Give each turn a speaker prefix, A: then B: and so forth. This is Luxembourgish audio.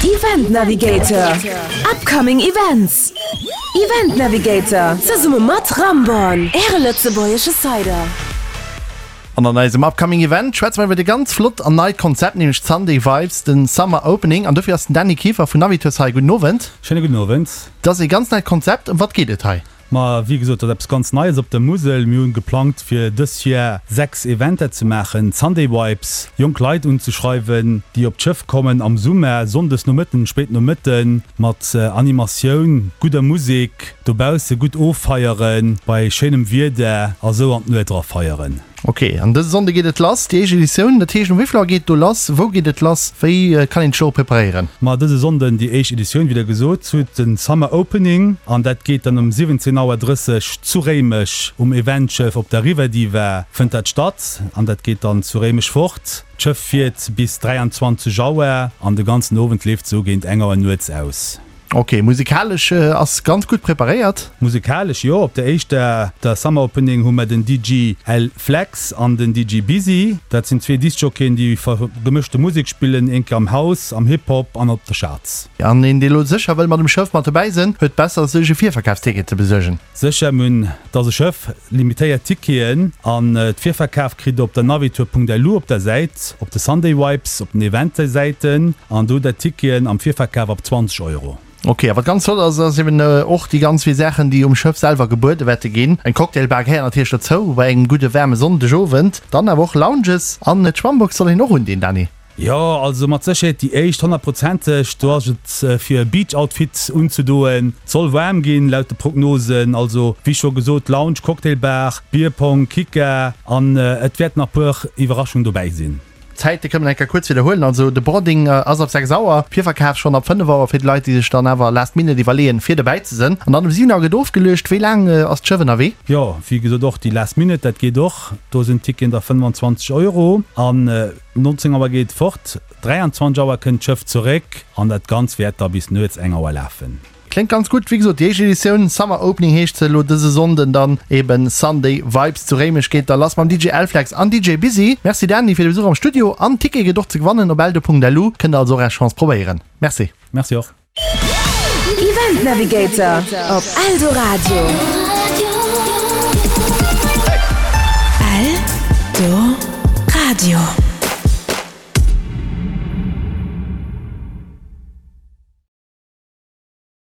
A: Event Navigator, Upcoming Events. Event Navigator, zesumme mat Ramborn, Äre lëtzebuergesche Cider.
B: An an eisem Upcoming Event schwätze mer iwwert e ganz flott an neit Konzept, nämlech d'Sunday Vibes, den Summer Opening. An dofir ass den Dany Kieffer vun Navitours hei. Gudden Owend.
C: Schéine gudden Owend.
B: Dat ass e ganz neit Konzept. Ëm wat geet et hei?
C: Ma wéi gesot, dat ass eppes ganz Neies op der Musel. Mir hunn geplangt fir dës Joer 6 Eventer ze maachen, Sunday Vibes, jonk Leit unzeschreiwen, déi op d'Schëff kommen am Summer, Sonndes Nomëtten, spéit Nomëtten, mat Animatioun, gudder Musek, dobausse gutt offeieren, bei schéinem Wieder a sou an d'Nuet era feieren.
B: Ok, an dëse Sonnde geet et lass, déi éischt Editioun. Dat heescht, um wéi vill Auer geet et do lass? Wou geet et lass? Wéi kann een sech dorop preparéieren?
C: Ma dëse Sonnden déi éischt Editioun, wéi der gesot hutt, den Summer Opening. An dat geet dann um 17 Auer 30 zu Réimech um Eventschëff op der River Diva fënnt dat statt. An dat geet dann zu Réimech fort. D'Schëff fiert bis 23 Auer an de ganzen Owend leeft sou géint eng Auer nuets aus.
B: Ok, musikalesch ass ganz gutt preparéiert.
C: Musikalesch jo, op der éischter, der Summer Opening hu mer den DJ L Flex an den DJ Busy. Dat sinn zwee Discjockeyen déi gemëschte Musek spillen, een am House, am Hip Hop an op der Charts.
B: An een dee lo sécher wëll mat um Schëff mat dobäi sënn, huet besser sech e Virverkafsticket ze besuergen.
C: Sécher, mir hunn, et ass e Schëff, limitéiert Ticketen an d'Virverkaf kritt der op der navitour.lu op der Säit, op de Sunday Vibes, op den Eventsäiten. An do der Ticketen am Virverkaf ab 20 Euro.
B: Ok, a wat ganz flott ass, ass eben och déi ganz vill Saachen, déi um Schëff selwer gebuede wäerte ginn. Eng Cocktailbar gehéiert natierlech dozou bei engem gudde waarme Sonndegowend. Dann awer och Lounges an d'Schwammbox soll een och undinn, Dany.
C: Jo, also mat Sécherheet déi éischt, honnertprozenteg. Do ass et fir e Beach-Outfit unzedoen. Et soll waarm ginn, laut de Prognosen. Also wéi scho gesot, Lounge, Cocktailbar, Bierpong, Kicker an et wäerten nach puer Iwwerraschungen dobäi sinn.
B: D'Zäite kënnen eng Kéier kuerz widderhuelen. Also de Boarding ass ab 6 Auer, Virverkaf schonn ab 5 Auer fir déi Leit, déi sech dann awer last minute iwwerleeën, fir dobäi ze sënn. An dann um 7 Auer gëtt ofgeluecht. Wéi laang ass d'Schëff ënnerwee?
C: Jo, wéi gesot och déi last minute, dat geet och. Do sinn d'Ticketen da 25 Euro. An 19 Auer geet et fort, 23 Auer kënnt d'Schëff zeréck an dat Ganz wäert da bis nuets eng Auer lafen.
B: Kléngt ganz gutt. Wéi gesot, déi éischt Editioun, Summer Opening heescht se elo dëse Sonnden dann eben Sunday Vibes zu Réimech geet da lass mam DJ L-Flex an DJ Busy. Merci Dany fir de Besuch am Studio an Ticket gëtt och ze gewannen op eldo.lu. Kënnt der also och är Chance probéieren. Merci.
C: Merci och.
A: Event Navigator op Eldoradio. Eldoradio.